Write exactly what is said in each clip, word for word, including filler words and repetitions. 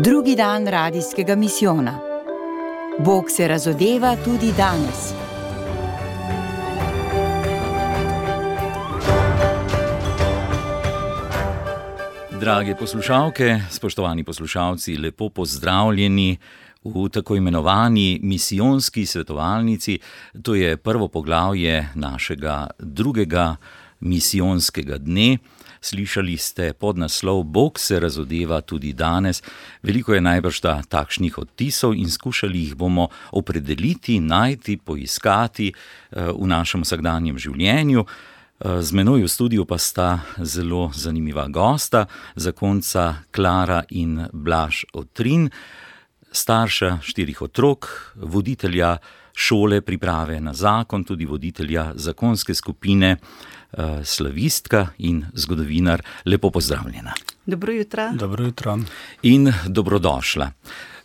Drugi dan radijskega misijona. Bog se razodeva tudi danes. Drage poslušalke, spoštovani poslušalci, lepo pozdravljeni v tako imenovani misijonski svetovalnici. To je prvo poglavje našega drugega misijonskega dne. Slišali ste podnaslov Bog se razodeva tudi danes. Veliko je najbrž takšnih odtisov in skušali jih bomo opredeliti, najti, poiskati v našem vsakdanjem življenju. Z menoj v studiu pa sta zelo zanimiva gosta, zakonca Klara in Blaž Otrin, starša štirih otrok, voditelja šole priprave na zakon, tudi voditelja zakonske skupine, slavistka in zgodovinar. Lepo pozdravljena. Dobro jutro. Dobro jutro. In dobrodošla.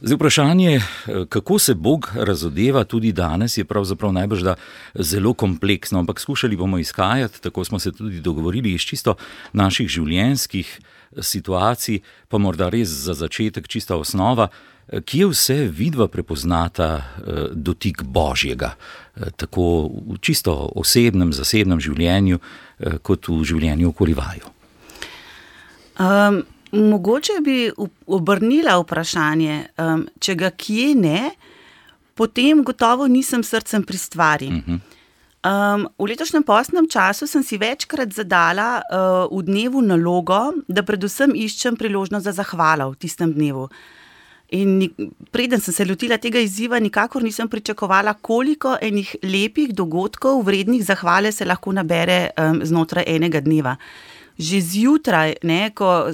Zdaj vprašanje, kako se Bog razodeva tudi danes, je pravzaprav najbrž da zelo kompleksno, ampak skušali bomo izhajati, tako smo se tudi dogovorili, iz čisto naših življenjskih situacij, pa morda res za začetek čista osnova, kje vse vidva prepoznata dotik Božjega, tako v čisto osebnem, zasebnem življenju, kot v življenju okoli vaju. Um, mogoče bi obrnila vprašanje, um, če ga kje ne, potem gotovo nisem srcem pri stvari. Uh-huh. Um, v letošnjem postnem času sem si večkrat zadala uh, v dnevu nalogo, da predvsem iščem priložnost za zahvalo v tistem dnevu. In preden sem se lotila tega izziva, nikakor nisem pričakovala, koliko enih lepih dogodkov, vrednih zahvale se lahko nabere um, znotraj enega dneva. Že zjutraj, ne, ko,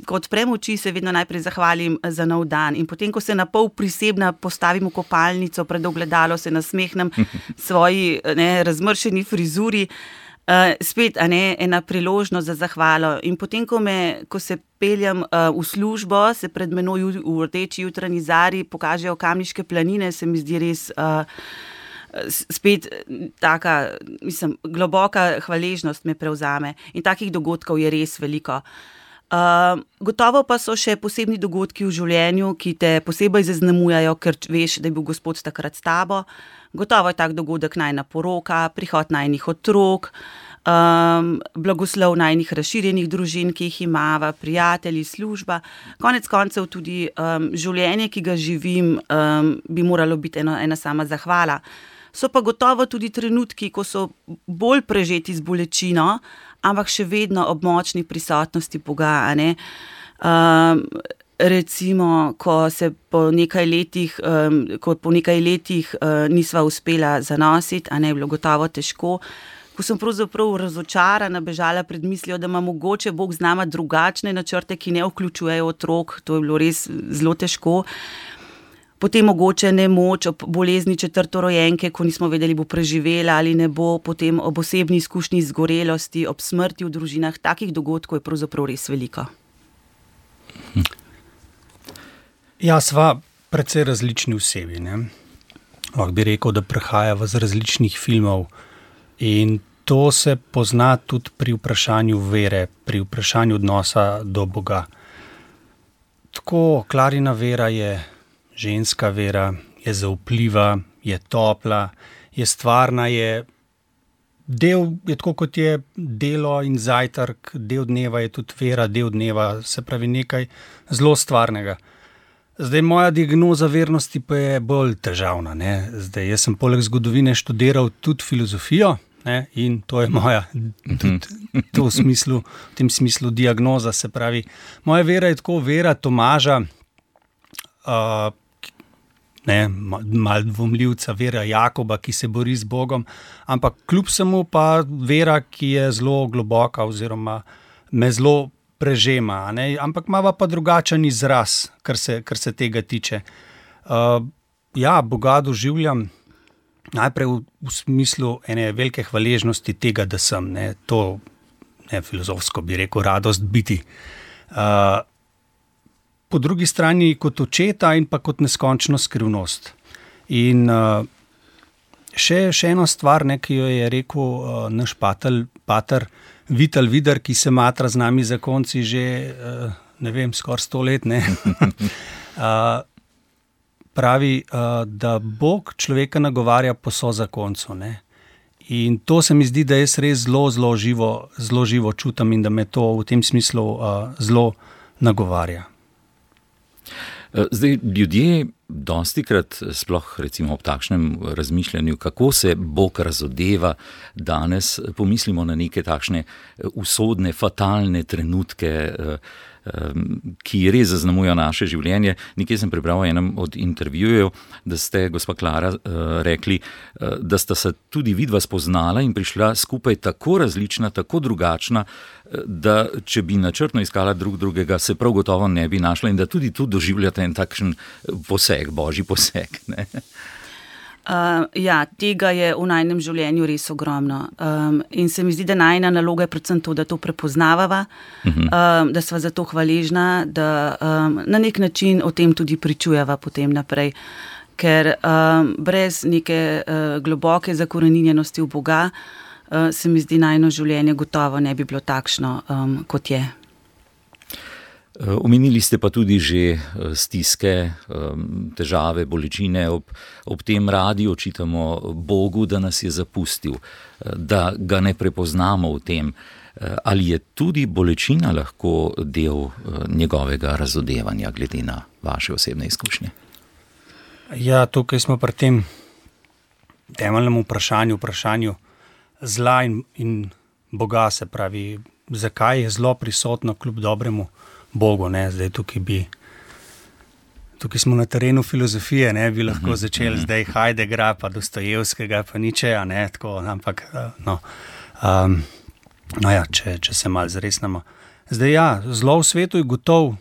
ko odprem oči, se vedno najprej zahvalim za nov dan in potem, ko se na pol prisebna postavim v kopalnico, pred ogledalo se nasmehnem svoji ne, razmršeni frizuri, uh, spet a ne, ena priložnost za zahvalo. In potem, ko, me, ko se peljem uh, v službo, se pred menoj v rdeči jutranji zari pokažejo Kamniške planine, se mi zdi res uh, spet taka, mislim, globoka hvaležnost me prevzame in takih dogodkov je res veliko. Uh, gotovo pa so še posebni dogodki v življenju, ki te posebej zaznamujajo, ker veš, da je bil Gospod takrat s tabo. Gotovo je tak dogodek najina poroka, prihod najinih otrok, um, blagoslov najinih razširjenih družin, ki jih imava, prijatelji, služba. Konec koncev tudi um, življenje, ki ga živim, um, bi moralo biti eno, ena sama zahvala. So pa gotovo tudi trenutki, ko so bolj prežeti z bolečino, ampak še vedno ob močni prisotnosti Boga, a ne. Um, recimo, ko se po nekaj letih, um, ko po nekaj letih uh, nisva uspela zanositi, a ne, je bilo gotovo težko, ko sem pravzaprav razočarana bežala pred mislijo, da ima mogoče Bog z nama drugačne načrte, ki ne vključujejo otrok, to je bilo res zelo težko. Potem mogoče nemoč ob bolezni četrtorojenke, ko nismo vedeli, bo preživela ali ne bo, potem ob osebni izkušnji zgorelosti, ob smrti v družinah, takih dogodkov je pravzaprav res veliko. Ja, sva precej različni osebi, ne. Lahko bi rekel, da prehajava z različnih filmov in to se pozna tudi pri vprašanju vere, pri vprašanju odnosa do Boga. Tako, Klarina vera je ženska vera, je zaupljiva, je topla, je stvarna, je del, je tako kot je delo in zajtrk, del dneva je tudi vera, del dneva, se pravi nekaj zelo stvarnega. Zdaj, moja diagnoza vernosti pa je bolj težavna, ne. Zdaj, jaz sem poleg zgodovine študiral tudi filozofijo, ne, in to je moja, tudi to v smislu, v tem smislu diagnoza, se pravi, moja vera je tako vera Tomaža, uh, ne, malo dvomljivca, vera Jakoba, ki se bori z Bogom, ampak kljub samo pa vera, ki je zelo globoka oziroma me zelo prežema, ne, ampak imava pa drugačen izraz, kar se, kar se tega tiče. Uh, ja, Boga doživljam najprej v, v smislu ene velike hvaležnosti tega, da sem, ne, to, ne, filozofsko bi rekel, radost biti. Uh, Po drugi strani kot očeta in pa kot neskončno skrivnost. In uh, še, še eno stvar, ne, ki jo je rekel uh, naš patel, pater Vital Vidar, ki se matra z nami zakonci že uh, ne vem, skoraj sto let, ne. uh, pravi, uh, da Bog človeka nagovarja po sozakoncu, ne. In to se mi zdi, da jaz res zelo, zelo živo, zelo živo čutim in da me to v tem smislu uh, zelo nagovarja. Zdaj, ljudje dostikrat, sploh recimo ob takšnem razmišljanju, kako se Bog razodeva danes, pomislimo na neke takšne usodne, fatalne trenutke, ki res zaznamujejo naše življenje. Nekje sem prebral v enem od intervjujev, da ste, gospa Klara, rekli, da sta se tudi vidva spoznala in prišla skupaj tako različna, tako drugačna, da če bi načrtno iskala drug drugega, se prav gotovo ne bi našla in da tudi tu doživljate en takšen poseg, božji poseg, ne? Uh, ja, tega je v najnem življenju res ogromno. Um, in se mi zdi, da najna naloga je predvsem to, da to prepoznavava, uh-huh. um, da sva za to hvaležna, da um, na nek način o tem tudi pričujeva potem naprej. Ker um, brez neke uh, globoke zakoreninjenosti v Boga uh, se mi zdi, najno življenje gotovo ne bi bilo takšno, um, kot je. Omenili ste pa tudi že stiske, težave, bolečine. Ob, ob tem radi očitamo Bogu, da nas je zapustil, da ga ne prepoznamo v tem. Ali je tudi bolečina lahko del njegovega razodevanja, glede na vaše osebne izkušnje? Ja, tukaj smo pri tem temeljnem vprašanju, vprašanju zla in, in Boga, se pravi, zakaj je zlo prisotno kljub dobremu Bogu, ne, zdaj tukaj bi, tukaj smo na terenu filozofije, ne, bi lahko začeli zdaj Heideggera, pa Dostojevskega, pa Nietzscheja, ne, tako, ampak, no, um, no ja, če, če se malo zresnemo. Zdaj ja, zlo v svetu je gotov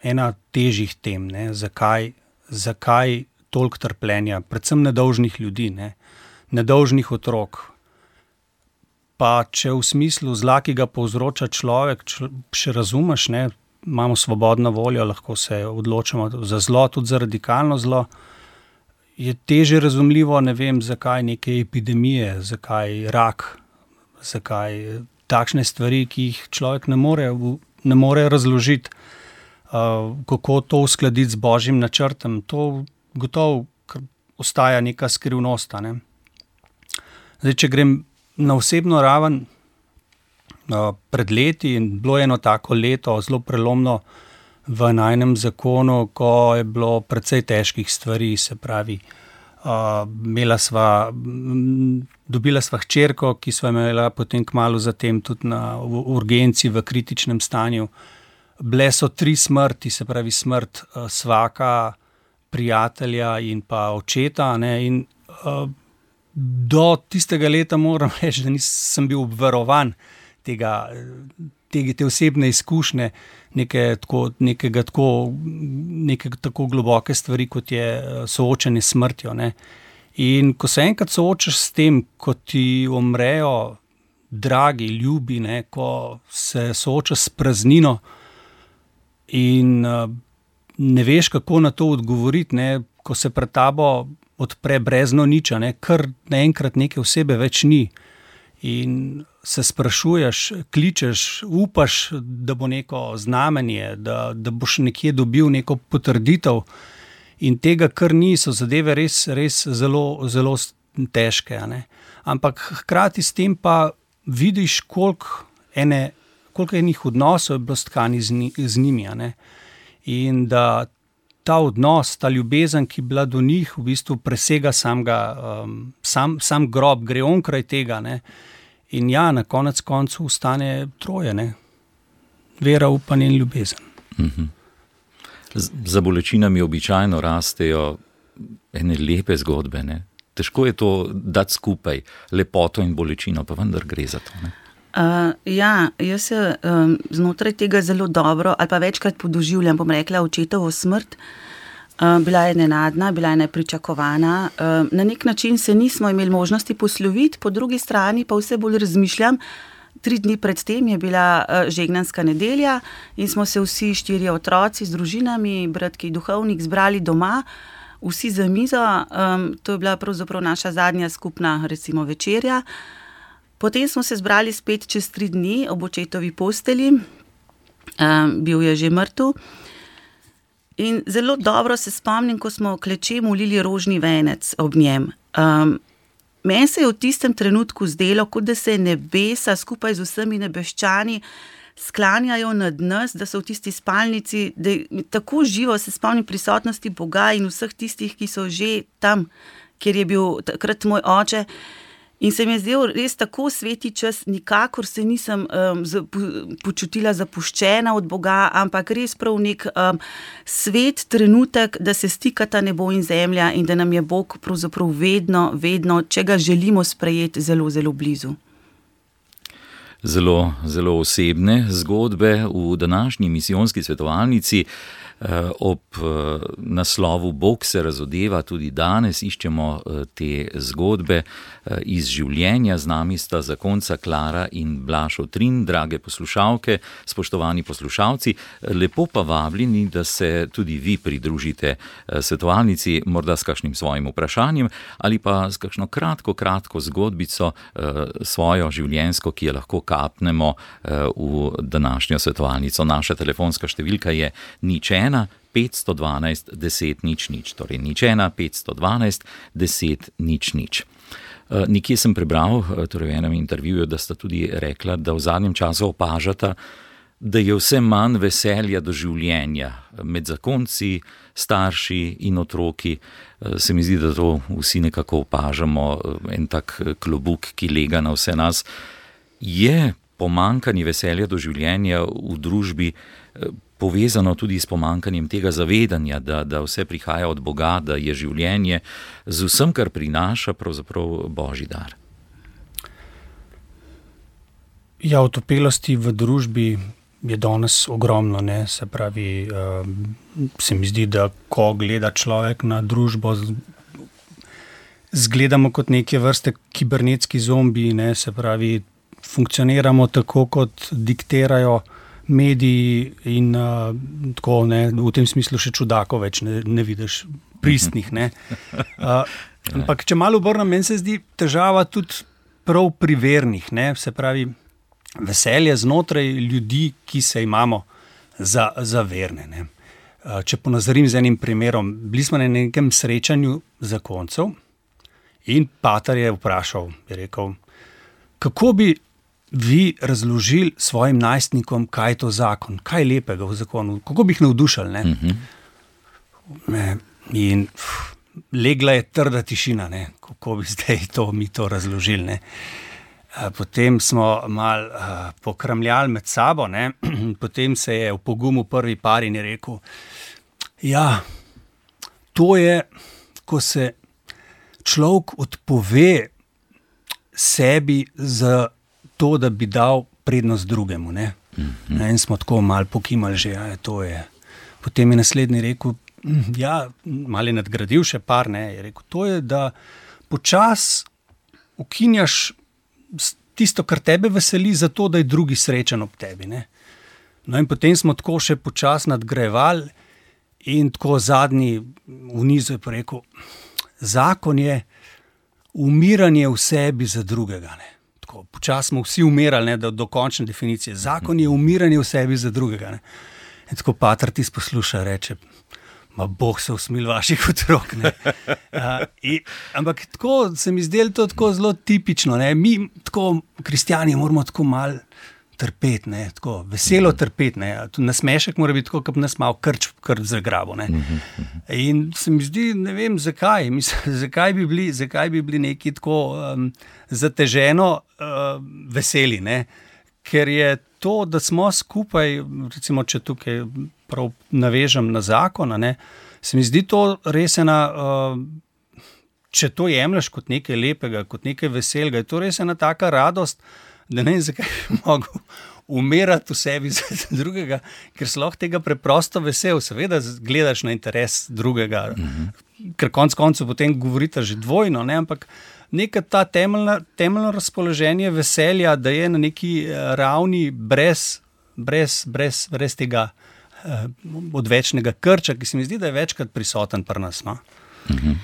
ena težjih tem, ne, zakaj, zakaj toliko trpljenja, predvsem nedolžnih ljudi, ne, nedolžnih otrok. Pa če v smislu zla, ki ga povzroča človek, č, še razumeš, ne, imamo svobodno voljo, lahko se odločimo za zlo, tudi za radikalno zlo, je teže razumljivo, ne vem, zakaj neke epidemije, zakaj rak, zakaj takšne stvari, ki jih človek ne more, ne more razložiti, uh, kako to uskladiti z božjim načrtom. To gotovo ostaja neka skrivnost, ne. Zdaj, če grem na osebno raven, pred leti in bilo eno tako leto zelo prelomno v najnem zakonu, ko je bilo precej težkih stvari, se pravi, uh, imela sva, dobila sva hčerko, ki sva imela potem kmalu zatem tudi na urgenci v kritičnem stanju. Bile so tri smrti, se pravi smrt uh, svaka, prijatelja in pa očeta, ne, in uh, do tistega leta moram reči, da nisem bil obvarovan tega, tega, te osebne izkušnje, neke tako, nekega tako, neke tako globoke stvari, kot je soočenje s smrtjo, ne. In ko se enkrat soočaš s tem, ko ti umrejo dragi, ljubi, ne, ko se soočaš s praznino in ne veš, kako na to odgovoriti, ne, ko se pred tabo odpre brezno niča, ne, kar naenkrat neke osebe več ni. In se sprašuješ, kličeš, upaš, da bo neko znamenje, da, da boš nekje dobil neko potrditev in tega, kar ni, so zadeve res, res zelo, zelo težke, ne. Ampak hkrati s tem pa vidiš, koliko ene, koliko enih odnosov je bilo stkani z, ni, z njimi, ne. In da ta odnos, ta ljubezen, ki je bila do njih, v bistvu presega samega, um, sam, sam grob, gre onkraj tega, ne. In ja, na konec koncu ostane troje, ne. Vera, upanje in ljubezen. Mhm. Za bolečinami običajno rastejo ene lepe zgodbe, ne. Težko je to dati skupaj, lepoto in bolečino, pa vendar gre za to, ne. Uh, ja, jaz se um, znotraj tega zelo dobro ali pa večkrat podoživljam, bom rekla, očetovo smrt. Uh, bila je nenadna, bila je nepričakovana. Uh, na nek način se nismo imeli možnosti posloviti, po drugi strani pa vse bolj razmišljam. Tri dni pred tem je bila uh, žegnanska nedelja in smo se vsi štirje otroci z družinami, bratki duhovnik, zbrali doma, vsi za mizo. Um, to je bila pravzaprav naša zadnja skupna, recimo, večerja. Potem smo se zbrali spet čez tri dni ob očetovi posteli um, bil je že mrtev. In zelo dobro se spomnim, ko smo kleče molili rožni venec ob njem. Um, meni se je v tistem trenutku zdelo, kot da se nebesa skupaj z vsemi nebeščani sklanjajo nad nas, da so v tisti spalnici, da tako živo se spomnim prisotnosti Boga in vseh tistih, ki so že tam, kjer je bil takrat moj oče. In se mi je zdel res tako sveti čas, nikakor se nisem um, zapu, počutila zapuščena od Boga, ampak res prav nek um, svet trenutek, da se stikata nebo in zemlja in da nam je Bog pravzaprav vedno, vedno, če ga želimo sprejeti, zelo, zelo blizu. Zelo, zelo osebne zgodbe v današnji misijonski svetovalnici. Ob naslovu Bog se razodeva tudi danes iščemo te zgodbe iz življenja. Z nami sta zakonca Klara in Blaž Otrin. Drage poslušalke, spoštovani poslušalci, lepo pa vabljeni, da se tudi vi pridružite svetovalnici, morda s kakšnim svojim vprašanjem ali pa s kakšno kratko, kratko zgodbico svojo življenjsko, ki jo lahko kapnemo v današnjo svetovalnico. Naša telefonska številka je nič ena petsto dvanajst deset nič nič, torej nič ena petsto dvanajst deset nič nič. Nekje sem prebral, torej v enem intervjuju, da sta tudi rekla, da v zadnjem času opažata, da je vse manj veselja do življenja med zakonci, starši in otroki. Se mi zdi, da to vsi nekako opažamo, en tak klobuk, ki lega na vse nas. Je pomanjkanje veselja do življenja v družbi povezano tudi s pomanjkanjem tega zavedanja, da, da vse prihaja od Boga, da je življenje z vsem, kar prinaša, pravzaprav Božji dar? Ja, otopelosti v družbi je danes ogromno, ne? Se pravi, se mi zdi, da ko gleda človek na družbo, zgledamo kot neke vrste kibernetski zombi, ne? Se pravi, funkcioniramo tako, kot diktirajo mediji in uh, tako, ne, v tem smislu še čudakov več ne, ne vidiš, pristnih, ne. Uh, ampak, če malo obrnem, meni se zdi težava tudi prav pri vernih, ne, se pravi, veselje znotraj ljudi, ki se imamo za, za verne, ne. Uh, če ponazorim z enim primerom, bili smo na nekem srečanju zakoncev in pater je vprašal, je rekel, kako bi vi razložili svojim najstnikom, kaj je to zakon, kaj je lepega v zakonu, kako bi jih navdušali, ne? Uh-huh. In pff, legla je trda tišina, ne? Kako bi zdaj to, mi to razložili, ne? Potem smo malo uh, pokramljali med sabo, ne? Potem se je v pogumu prvi par in je rekel, ja, to je, ko se človek odpove sebi za to, da bi dal prednost drugemu, ne. Mm-hmm. In smo tako malo pokimali že, ja, to je. Potem je naslednji rekel, ja, malo je nadgradil še par, ne, je rekel, to je, da počas ukinjaš tisto, kar tebe veseli, zato, da je drugi srečen ob tebi, ne. No in potem smo tako še počas nadgrajevali in tako zadnji v nizu je pa rekel, zakon je umiranje v sebi za drugega, ne. Počas smo vsi umirali, ne, do, do končne definicije. Zakon je umiranje v sebi za drugega. Ne. In tako pater ti posluša, reče, ma Bog se usmil vaših otrok. Ne. Uh, in, ampak tako se mi zdelo to tako zelo tipično. Ne. Mi, tako kristjani, moramo tako malo trpeti, ne, tako veselo trpeti. Ne. Nasmešek mora biti tako, kot nas malo krč, krč zagrabo. Ne. In se mi zdi, ne vem, zakaj. Mislim, zakaj bi bili, zakaj bi bili neki tako um, zateženo uh, veseli, ne. Ker je to, da smo skupaj, recimo, če tukaj prav navežem na zakon, ne, se mi zdi to res ena, uh, če to jemlješ kot nekaj lepega, kot nekaj veselega, je to res ena taka radost, da ne vem, zakaj bi mogel umirati v sebi za drugega, ker si lahko tega preprosto vesel, seveda gledaš na interes drugega, mm-hmm. ker konc koncev potem govorite že dvojno, ne, ampak neka ta temeljna, temeljno razpoloženje veselja, da je na neki ravni brez, brez, brez, brez tega eh, odvečnega krča, ki se mi zdi, da je večkrat prisoten pri nas. No? Mm-hmm.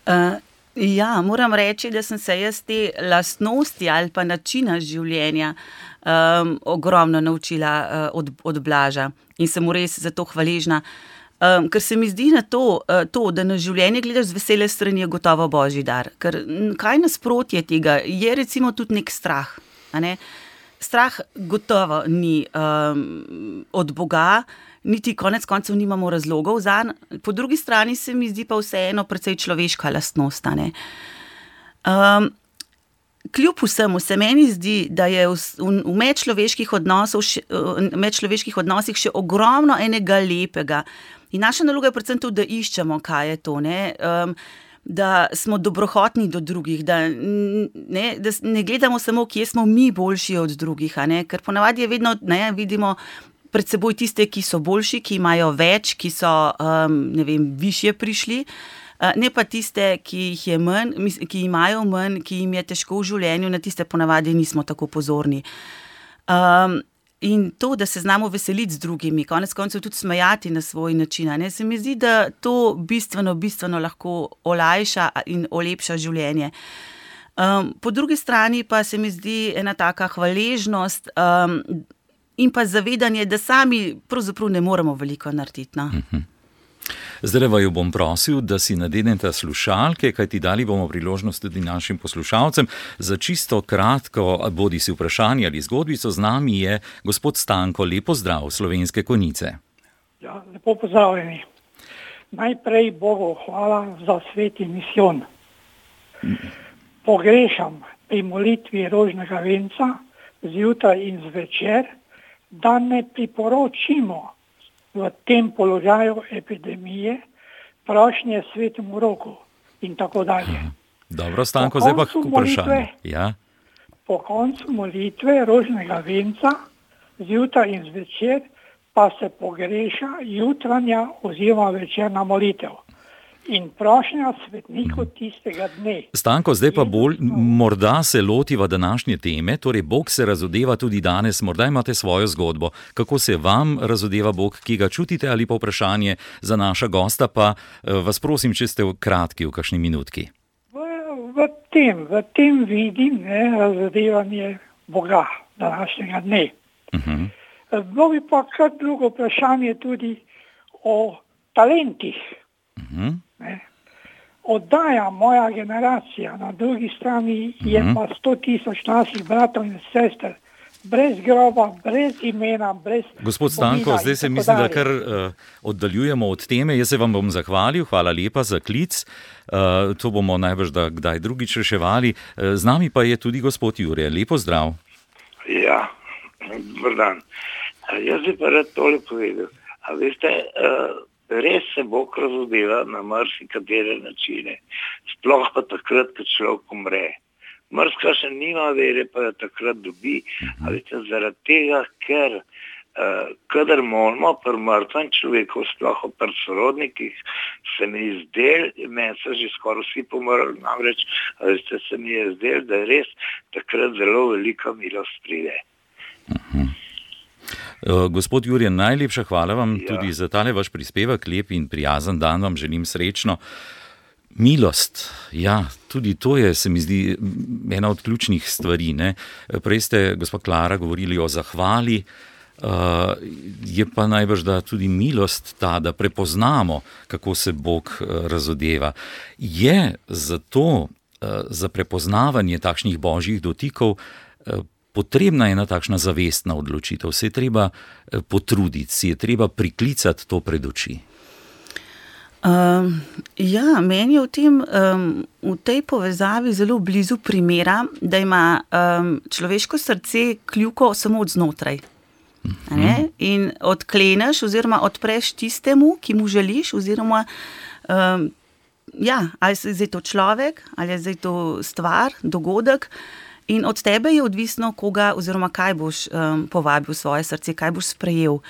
Uh, ja, moram reči, da sem se jaz te lastnosti ali pa načina življenja um, ogromno naučila uh, od, od Blaža in sem mu res za to hvaležna. Um, ker se mi zdi na to, uh, to, da na življenje gledaš z vesele strani, je gotovo božji dar. Ker kaj nasprotje tega je recimo tudi nek strah. A ne? Strah gotovo ni um, od Boga, niti konec koncev nimamo razlogov zanj. Po drugi strani se mi zdi pa vseeno precej človeška lastnost. Um, kljub vsemu se meni zdi, da je v, v medčloveških, še, medčloveških odnosih še ogromno enega lepega. In naša naloga je predvsem to, da iščemo, kaj je to. Ne? Um, da smo dobrohotni do drugih, da ne, da ne gledamo samo, kje smo mi boljši od drugih, a ne? Ker ponavadi je vedno, ne, vidimo pred seboj tiste, ki so boljši, ki imajo več, ki so, um, ne vem, višje prišli, uh, ne pa tiste, ki jih je manj, ki imajo manj, ki jim je težko v življenju, na tiste ponavadi nismo tako pozorni. Um, in to, da se znamo veseliti z drugimi, konec koncev tudi smejati na svoj način, ne, se mi zdi, da to bistveno, bistveno lahko olajša in olepša življenje. Um, po drugi strani pa se mi zdi ena taka hvaležnost, um, in pa zavedanje, da sami pravzaprav ne moremo veliko narediti. No? Zdaj vaju bom prosil, da si nadenete slušalke, kajti dali bomo priložnost tudi našim poslušalcem. Za čisto kratko, bodi si vprašanje ali zgodbico, z nami je gospod Stanko. Lepo zdrav, Slovenske Konjice. Ja, lepo pozdravljeni. Najprej Bogu hvala za sveti misijon. Pogrešam pri molitvi rožnega venca zjutraj in zvečer, da ne priporočimo v tem položaju epidemije prošnje svetemu roku in tako dalje. Dobro, Stanko, zdaj pa k vprašanju. Ja. Po koncu molitve rožnega venca zjutraj in zvečer pa se pogreša jutranja oziroma večerna molitev in prošnja svetniku tistega dne. Stanko, zdaj pa bolj morda se lotiva današnje teme, torej Bog se razodeva tudi danes, morda imate svojo zgodbo. Kako se vam razodeva Bog, ki ga čutite, ali pa vprašanje za naša gosta, pa vas prosim, če ste kratki v kakšni minutki. V, v, tem, v tem vidim ne, razodevanje Boga današnjega dne. Uh-huh. Bilo bi pa kar drugo vprašanje tudi o talentih. Uh-huh. Ne. Oddaja moja generacija, na drugi strani je uh-huh. pa sto tisoč naših bratov in sester, brez groba, brez imena, brez... Gospod Stanko, zdaj se mislim, da kar uh, oddaljujemo od teme. Jaz se vam bom zahvalil, hvala lepa za klic. Uh, to bomo najbrž da kdaj drugič reševali. Uh, z nami pa je tudi gospod Jure. Lepo zdrav. Ja, dober dan. Jaz bi pa rad tole povedal. A veste... Uh, Res se Bog razodeva na marsikatere načine, sploh pa takrat, ko človek umre. Mrska še nima vere, pa jo takrat dobi, ali te zaradi tega, ker uh, kadar molimo pri mrtvem človeku, sploh pri sorodnikih, se mi je zdel, meni so že skoraj vsi pomrli, namreč ali ste se mi je zdel, da res takrat zelo velika milost pride. Uh-huh. Uh, gospod Jurje, najlepša hvala vam ja. tudi za tale vaš prispevek, lep in prijazen dan vam želim, srečno. Milost, ja, tudi to je, se mi zdi, ena od ključnih stvari. Ne? Prej ste, gospod Klara, govorili o zahvali, uh, je pa najbrž, da tudi milost ta, da prepoznamo, kako se Bog uh, razodeva. Je zato uh, za prepoznavanje takšnih božjih dotikov uh, potrebna je ena takšna zavestna odločitev, se je treba potruditi, se je treba priklicati to pred oči. Um, ja, meni je v, tem, um, v tej povezavi zelo blizu primera, da ima um, človeško srce kljuko samo od znotraj. Uh-huh. In odkleneš oziroma odpreš tistemu, ki mu želiš, oziroma um, ja, ali je zdaj to človek, ali je zdaj to stvar, dogodek. In od tebe je odvisno, koga oziroma kaj boš um, povabil v svoje srce, kaj boš sprejel.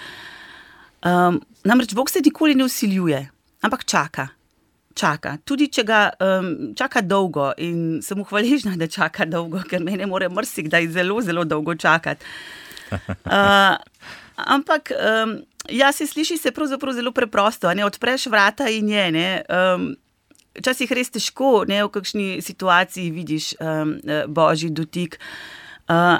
Um, namreč Bog se nikoli ne vsiljuje, ampak čaka. Čaka. Tudi če ga um, čaka dolgo in sem mu hvaležna, da čaka dolgo, ker mene mora marsikdaj zelo, zelo dolgo čakati. Uh, ampak, um, ja, se sliši se pravzaprav zelo preprosto, ne, odpreš vrata in je, ne, um, včasih res težko, ne, v kakšni situaciji vidiš um, božji dotik. Uh,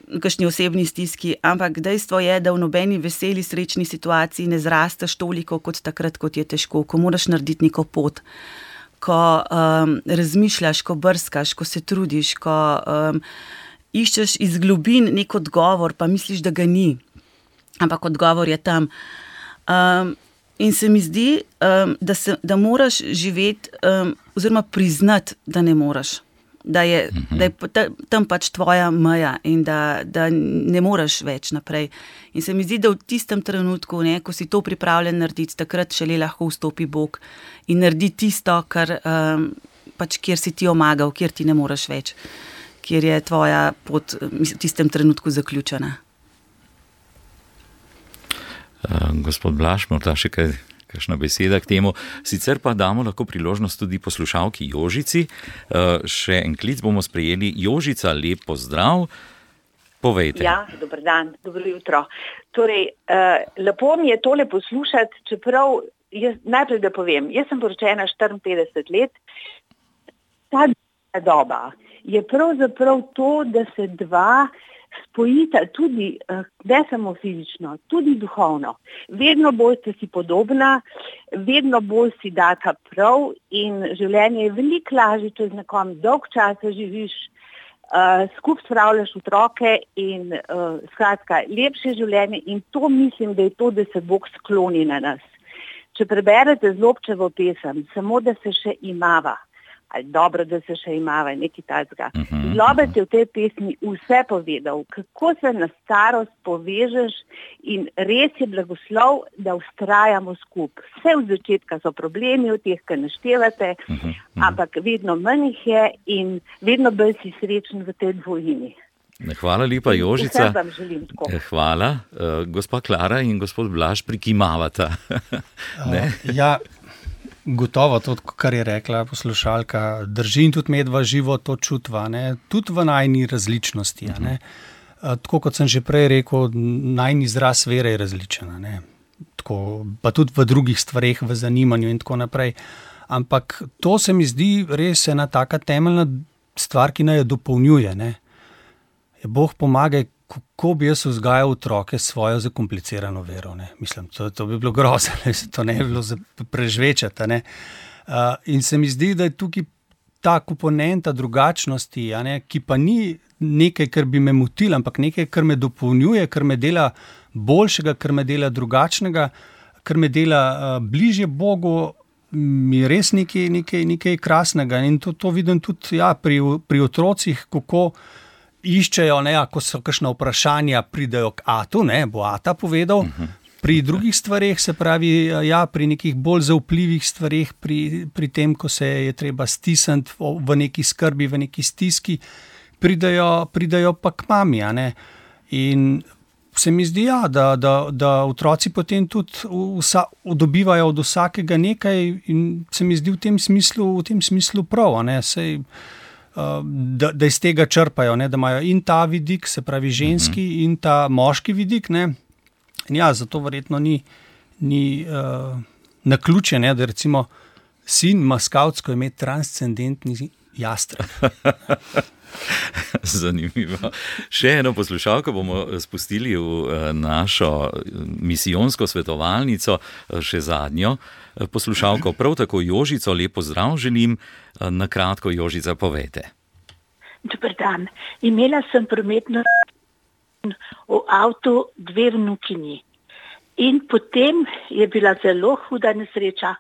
v kakšni osebni stiski, ampak dejstvo je, da v nobeni veseli, srečni situaciji ne zrasteš toliko kot takrat, kot je težko, ko moraš narediti neko pot, ko um, razmišljaš, ko brskaš, ko se trudiš, ko um, iščeš iz globin nek odgovor, pa misliš, da ga ni, ampak odgovor je tam. Um, in se mi zdi, um, da, se, da moraš živeti um, oziroma priznati, da ne moraš. Da je, da je tam pač tvoja meja in da, da ne moreš več naprej. In se mi zdi, da v tistem trenutku, ne, ko si to pripravljen narediti, takrat šele lahko vstopi Bog in naredi tisto, kar, um, pač, kjer si ti omagal, kjer ti ne moreš več, kjer je tvoja pot v tistem trenutku zaključena. Uh, gospod Blaž, morda še kaj, kakšna beseda k temu. Sicer pa damo lahko priložnost tudi poslušalki Jožici. Uh, še en klic bomo sprejeli. Jožica, lep pozdrav. Povejte. Ja, dober dan, dobro jutro. Torej, uh, lepo mi je tole poslušati, čeprav jaz, najprej da povem, jaz sem poročena štiriinpetdeset let. Ta doba je pravzaprav to, da se dva spojita tudi, ne samo fizično, tudi duhovno. Vedno bolj ste si podobna, vedno bolj si data prav in življenje je veliko lažje, če z nekom dolg časa živiš, uh, skupaj spravljaš otroke in uh, skratka, lepše življenje in to mislim, da je to, da se Bog skloni na nas. Če preberete Zlobčevo pesem, samo da se še imava, ali dobro, da se še imava, nekaj takega. Zlobec je v tej pesmi vse povedal, kako se na starost povežeš in res je blagoslov, da vztrajamo skupaj. Vse v začetka so problemi v teh, ki naštevate, ampak vedno manj jih je in vedno bolj si srečen v tej dvojini. Hvala lepa, Jožica. Vse vam želim tako. Hvala. Uh, gospa Klara in gospod Blaž prikimavata. Ne? Uh, ja, gotovo to, kar je rekla poslušalka, drži in tudi medva živo to čutva, ne? Tudi v najni različnosti. Ne? Uh, tako kot sem že prej rekel, najni izraz vere je različen. Ne? Tako, pa tudi v drugih stvareh, v zanimanju in tako naprej. Ampak to se mi zdi res ena taka temeljna stvar, ki naj jo dopolnjuje. Ne? Bog pomagaj, kako bi jaz vzgajal otroke svojo zakomplicirano vero. Ne? Mislim, to, to bi bilo grozno, to ne bi bilo prežvečati. Ne? Uh, in se mi zdi, da je tukaj ta komponenta drugačnosti, a ne? Ki pa ni nekaj, kar bi me motil, ampak nekaj, kar me dopolnjuje, kar me dela boljšega, kar me dela drugačnega, kar me dela uh, bližje Bogu, mi je res nekaj, nekaj, nekaj krasnega. In to, to vidim tudi ja, pri, pri otrocih, kako iščejo, ne, ko so kakšna vprašanja, pridejo k Atu, ne, bo Ata povedal. Uh-huh. Pri drugih stvareh, se pravi, ja, pri nekih bolj zaupljivih stvareh, pri, pri tem, ko se je treba stisniti v neki skrbi, v neki stiski, pridejo, pridejo pa k mami, a ne. In se mi zdi, ja, da, da, da otroci potem tudi vsa, dobivajo od vsakega nekaj in se mi zdi v tem smislu, v tem smislu prav, a ne, sej Da, da iz tega črpajo, ne, da imajo in ta vidik, se pravi ženski, uh-huh. in ta moški vidik. Ne. In ja, zato verjetno ni, ni uh, naključje, ne, da recimo sin ima skavtsko ime transcendentni jastreb. Zanimivo. Še eno poslušalko bomo spustili v našo misijonsko svetovalnico, še zadnjo poslušalko, prav tako Jožico, lepo zdrav želim. Na kratko, Jožica, povejte. Dobar dan. Imela sem prometno v avtu dve vnukinji. In potem je bila zelo huda nesreča,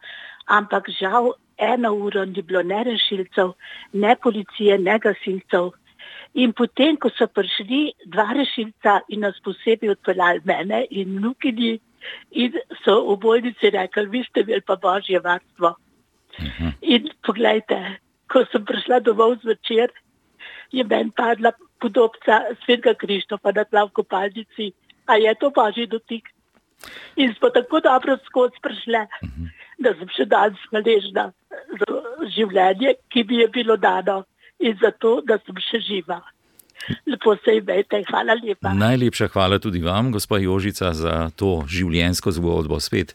ampak žal eno uro ni bilo ne rešilcev, ne policije, ne gasilcev. In potem, ko so prišli dva rešilca in nas posebej odpeljali mene in vnukinji, in so v bolnici rekli, vi ste imeli pa božje varstvo. Uh-huh. In poglejte, ko sem prišla domov zvečer, je meni padla podobca Svetega Krištofa na tla v kopalnici. A je to božji dotik? In smo tako dobro skozi prišle, uh-huh. da sem še danes hvaležna za življenje, ki mi je bilo dano in za to, da sem še živa. Lepo se imejte, hvala lepa. Najlepša hvala tudi vam, gospa Jožica, za to življenjsko zgodbo. Spet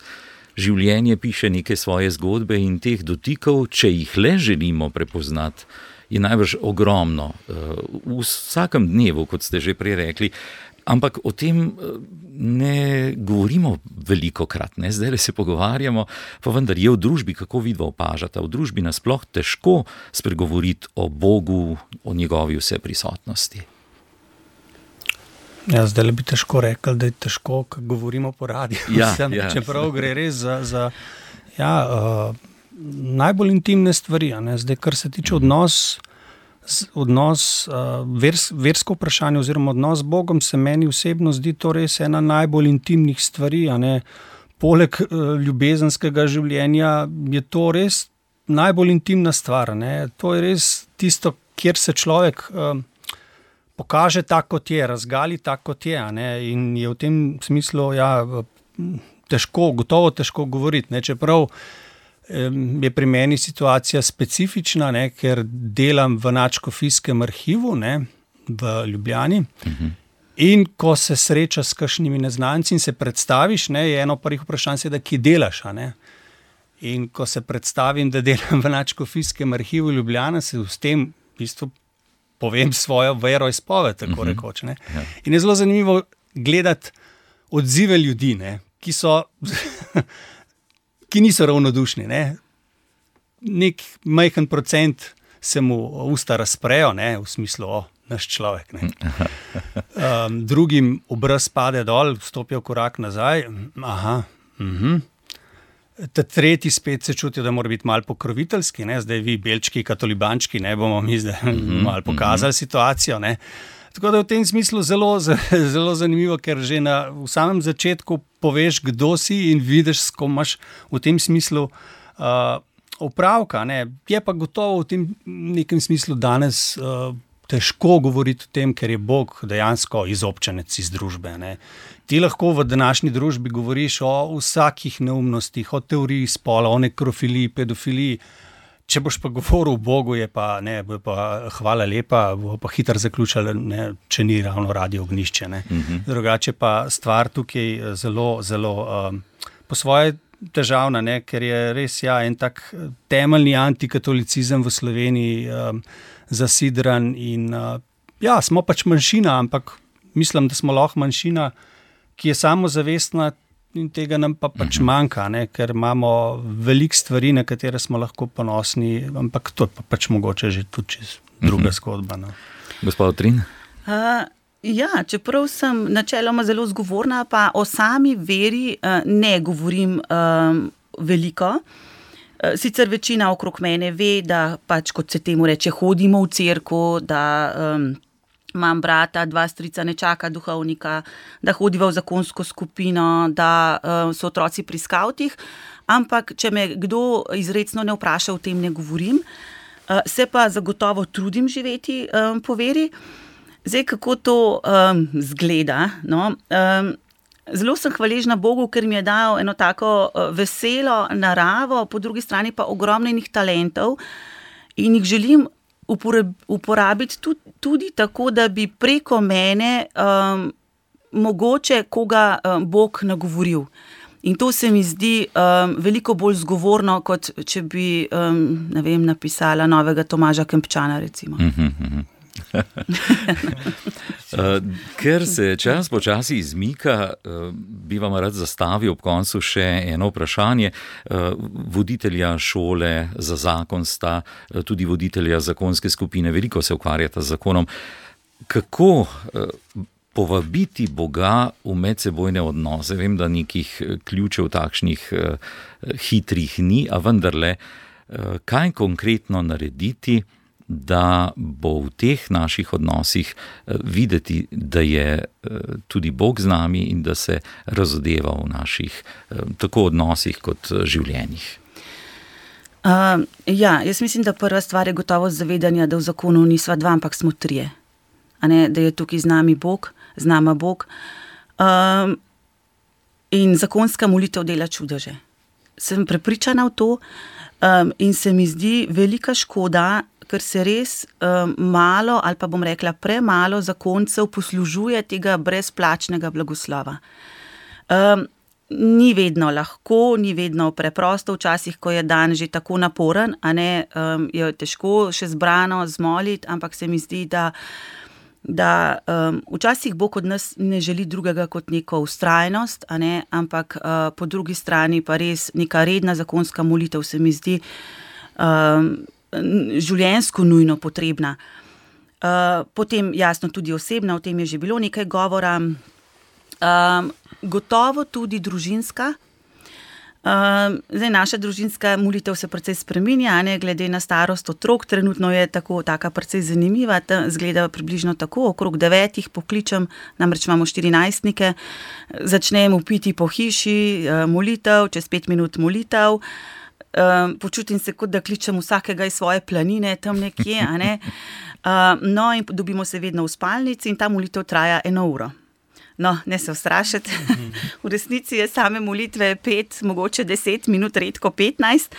življenje piše neke svoje zgodbe in teh dotikov, če jih le želimo prepoznati, je najbrž ogromno. V vsakem dnevu, kot ste že prej rekli, ampak o tem ne govorimo veliko krat, ne? Zdaj se pogovarjamo, pa vendar je v družbi, kako vidva opažata, v družbi nasploh težko spregovoriti o Bogu, o njegovi vseprisotnosti. Ja, zdaj bi težko rekli, da je težko, ko govorimo po radiju. Ja, ja. Čeprav gre res za, za ja, uh, najbolj intimne stvari. Ne? Zdaj, kar se tiče odnos, odnos uh, vers, versko vprašanje oziroma odnos z Bogom, se meni osebno zdi to res ena najbolj intimnih stvari. A ne? Poleg uh, ljubezenskega življenja je to res najbolj intimna stvar. Ne? To je res tisto, kjer se človek uh, pokaže tako, kot je, razgali tako, kot je, ne? In je v tem smislu ja, težko, gotovo težko govoriti, ne? Čeprav je pri meni situacija specifična, ne? Ker delam v Nadškofijskem arhivu, ne? V Ljubljani, uh-huh. In ko se sreča s kakšnimi neznanci in se predstaviš, ne? Je eno prvih vprašanj, da kje delaš, a ne? In ko se predstavim, da delam v Nadškofijskem arhivu Ljubljana, se s tem v bistvu povem svojo veroizpoved, tako uh-huh. rekoč. Ne? Ja. In je zelo zanimivo gledati odzive ljudi, ne? Ki so, ki niso ravnodušni. Ne? Nek majhen procent se mu usta razprejo, ne? V smislu, o, naš človek. Ne? Um, drugim obraz pade dol, stopijo korak nazaj. Aha, mhm. Ta tretji spet se čutijo, da mora biti malo pokroviteljski, ne? Zdaj vi, belčki, katolibančki, ne bomo mi zdaj mm-hmm. malo pokazali mm-hmm. situacijo. Ne? Tako da v tem smislu zelo, zelo zanimivo, ker že na, v samem začetku poveš, kdo si in vidiš, s kom imaš v tem smislu uh, opravka. Ne? Je pa gotovo v tem nekem smislu danes uh, težko govoriti o tem, ker je Bog dejansko izobčenec iz družbe. Ne? Ti lahko v današnji družbi govoriš o vsakih neumnostih, o teoriji spola, o nekrofiliji, pedofiliji. Če boš pa govoril o Bogu, je pa, ne, bo pa hvala lepa, bo pa hitro zaključil, ne, če ni ravno radio ognjišče. Ne. Mm-hmm. Drugače pa stvar tukaj zelo, zelo um, po svoje težavna, ne, ker je res ja, en tak temeljni antikatolicizem v Sloveniji um, zasidran in uh, ja, smo pač manjšina, ampak mislim, da smo lahko manjšina, ki je samozavestna in tega nam pa pač uh-huh. manjka, ne? Ker imamo veliko stvari, na katere smo lahko ponosni, ampak to je pa pač mogoče že tudi čez druga uh-huh. zgodba. No? Gospod Trin? Uh, ja, čeprav sem načeloma zelo zgovorna, pa o sami veri uh, ne govorim um, veliko. Uh, sicer večina okrog mene ve, da pač, kot se temu reče, hodimo v cerkev, da um, imam brata, dva strica, nečaka duhovnika, da hodiva v zakonsko skupino, da uh, so otroci pri skavtih, ampak če me kdo izrecno ne vpraša, o tem ne govorim. Uh, se pa zagotovo trudim živeti um, po veri. Zdaj, kako to um, zgleda? No? Um, zelo sem hvaležna Bogu, ker mi je dal eno tako uh, veselo naravo, po drugi strani pa ogromno enih talentov in jih želim uporabiti tudi, tudi tako, da bi preko mene um, mogoče koga um, Bog nagovoril. In to se mi zdi um, veliko bolj zgovorno, kot če bi um, ne vem, napisala novega Tomaža Kempčana, recimo. Mm-hmm. Ker se čas počasi izmika, bi vam rad zastavil ob koncu še eno vprašanje. Voditelja šole za zakon sta, tudi voditelja zakonske skupine, veliko se ukvarjata z zakonom. Kako povabiti Boga v medsebojne odnose? Vem, da nekih ključev takšnih hitrih ni, a vendarle, kaj konkretno narediti, da bo v teh naših odnosih videti, da je tudi Bog z nami in da se razodeva v naših tako odnosih kot življenjih? Uh, ja, jaz mislim, da prva stvar je gotovo zavedanje, da v zakonu nisva dva, ampak smo trije. A ne, da je tukaj z nami Bog, z nama Bog. Um, in zakonska molitev dela čudeže. Sem prepričana v to um, in se mi zdi velika škoda, ker se res um, malo, ali pa bom rekla premalo zakoncev poslužuje tega brezplačnega blagoslova. Um, ni vedno lahko, ni vedno preprosto, včasih, ko je dan že tako naporen, a ne, um, je težko še zbrano zmoliti, ampak se mi zdi, da, da um, včasih Bog od nas ne želi drugega kot neko vztrajnost, a ne, ampak uh, po drugi strani pa res neka redna zakonska molitev se mi zdi um, življenjsko nujno potrebna. Uh, potem jasno tudi osebna, o tem je že bilo nekaj govora, um, gotovo tudi družinska. Um, zdaj, naša družinska molitev se precej spreminja, ne, glede na starost otrok, trenutno je tako, taka precej zanimiva, ta, zgleda približno tako, okrog devetih pokličem, namreč imamo štirinajstnike, začnemo piti po hiši, molitev, čez pet minut molitev, um, počutim se, kot da kličem vsakega iz svoje planine, tam nekje, a ne. Uh, no, in dobimo se vedno v spalnici in ta molitev traja eno uro. No, ne se ustrašiti, v resnici je same molitve pet, mogoče deset minut, redko petnajst,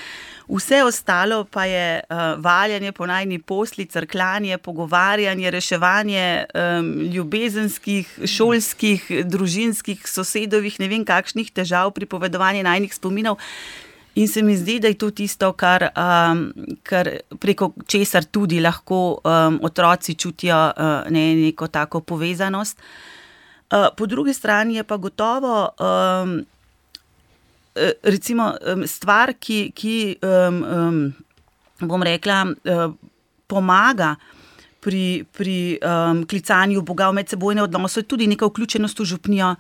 vse ostalo pa je uh, valjanje po najni posli, crkljanje, pogovarjanje, reševanje um, ljubezenskih, šolskih, družinskih, sosedovih, ne vem kakšnih težav, pripovedovanje najnih spominov. In se mi zdi, da je to tisto, kar, um, kar preko česar tudi lahko um, otroci čutijo uh, ne, neko tako povezanost. Uh, po drugi strani je pa gotovo um, recimo stvar, ki, ki um, um, bom rekla, uh, pomaga pri, pri um, klicanju Boga v medsebojne odnose, tudi neka vključenost v župnijo,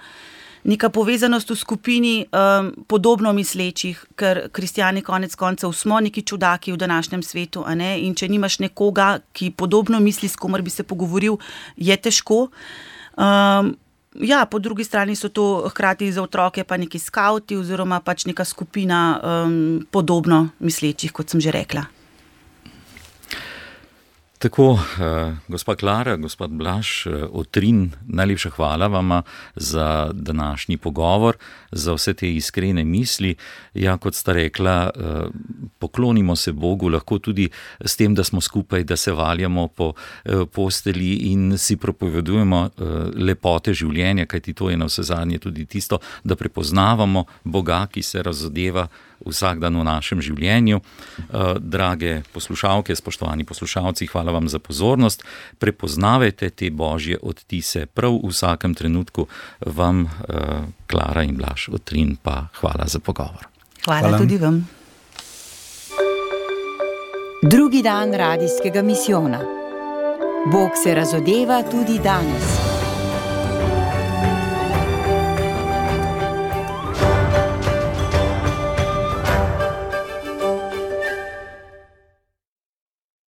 neka povezanost v skupini um, podobno mislečih, ker kristjani konec koncev smo neki čudaki v današnjem svetu, a ne? In če nimaš nekoga, ki podobno misli, s komer bi se pogovoril, je težko. Um, ja, po drugi strani so to hkrati za otroke pa neki skauti oziroma pač neka skupina um, podobno mislečih, kot sem že rekla. Tako, eh, gospa Klara, gospod Blaž, eh, Otrin, najlepša hvala vama za današnji pogovor, za vse te iskrene misli. Ja, kot sta rekla, eh, poklonimo se Bogu lahko tudi s tem, da smo skupaj, da se valjamo po eh, postelji in si propovedujemo eh, lepote življenja, kajti to je na vse zadnje tudi tisto, da prepoznavamo Boga, ki se razodeva vsak dan v našem življenju. Eh, drage poslušalke, spoštovani poslušalci, hvala vam za pozornost. Prepoznavajte te božje odtise prav v vsakem trenutku. Vam, uh, Klara in Blaž Otrin, pa hvala za pogovor. Hvala, hvala tudi vam. Drugi dan radijskega misijona. Bog se razodeva tudi danes.